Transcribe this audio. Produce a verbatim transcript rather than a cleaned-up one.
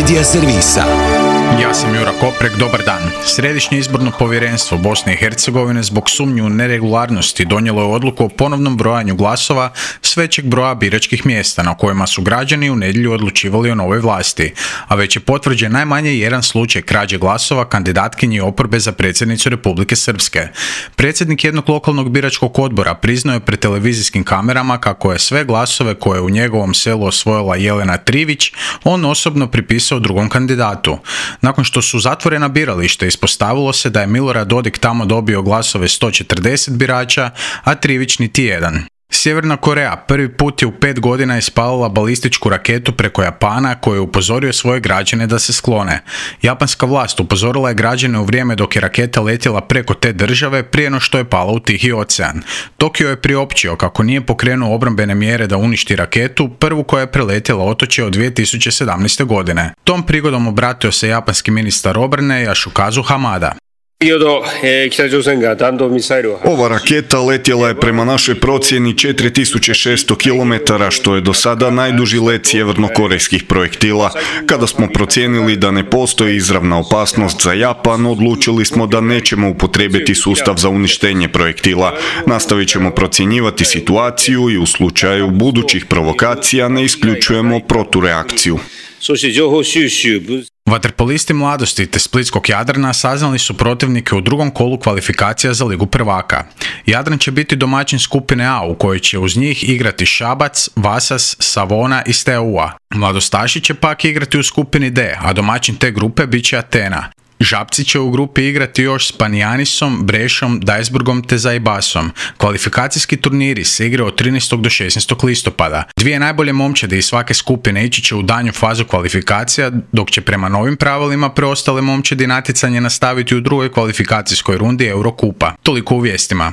Media servisa. Ja sam Jura Koprek, dobar dan. Središnje izborno povjerenstvo Bosne i Hercegovine zbog sumnje u neregularnosti donijelo je odluku o ponovnom brojanju glasova s većeg broja biračkih mjesta na kojima su građani u nedjelju odlučivali o novoj vlasti, a već je potvrđen najmanje jedan slučaj krađe glasova kandidatkinji oporbe za predsjednicu Republike Srpske. Predsjednik jednog lokalnog biračkog odbora priznao je pred televizijskim kamerama kako je sve glasove koje je u njegovom selu osvojila Jelena Trivić on osobno pripisao drugom kandidatu. Nakon što su zatvorena birališta, ispostavilo se da je Milorad Dodik tamo dobio glasove sto četrdeset birača, a Trivić niti jedan. Sjeverna Koreja prvi put je u pet godina ispalila balističku raketu preko Japana koju je upozorio svoje građane da se sklone. Japanska vlast upozorila je građane u vrijeme dok je raketa letjela preko te države prije no što je pala u Tihi ocean. Tokio je priopćio kako nije pokrenuo obrambene mjere da uništi raketu, prvu koja je preletjela otočje od dvije tisuće sedamnaeste. godine. Tom prigodom obratio se japanski ministar obrane Yasukazu Hamada. Ova raketa letjela je prema našoj procjeni četiri tisuće šesto kilometara, što je do sada najduži let sjevernokorejskih projektila. Kada smo procijenili da ne postoji izravna opasnost za Japan, odlučili smo da nećemo upotrijebiti sustav za uništenje projektila. Nastavit ćemo procjenjivati situaciju i u slučaju budućih provokacija ne isključujemo protureakciju. Vaterpolisti Mladosti te Splitskog Jadrana saznali su protivnike u drugom kolu kvalifikacija za Ligu prvaka. Jadran će biti domaćin skupine A u kojoj će uz njih igrati Šabac, Vasas, Savona i Steaua. Mladostaši će pak igrati u skupini D, a domaćin te grupe bit će Atena. Žabci će u grupi igrati još s Panijanisom, Brešom, Dajsburgom te Zaibasom. Kvalifikacijski turniri se igraju od trinaestog do šesnaestog listopada. Dvije najbolje momčadi iz svake skupine ići će u danju fazu kvalifikacija, dok će prema novim pravilima preostale momčadi natjecanje nastaviti u drugoj kvalifikacijskoj rundi Eurokupa. Toliko u vijestima.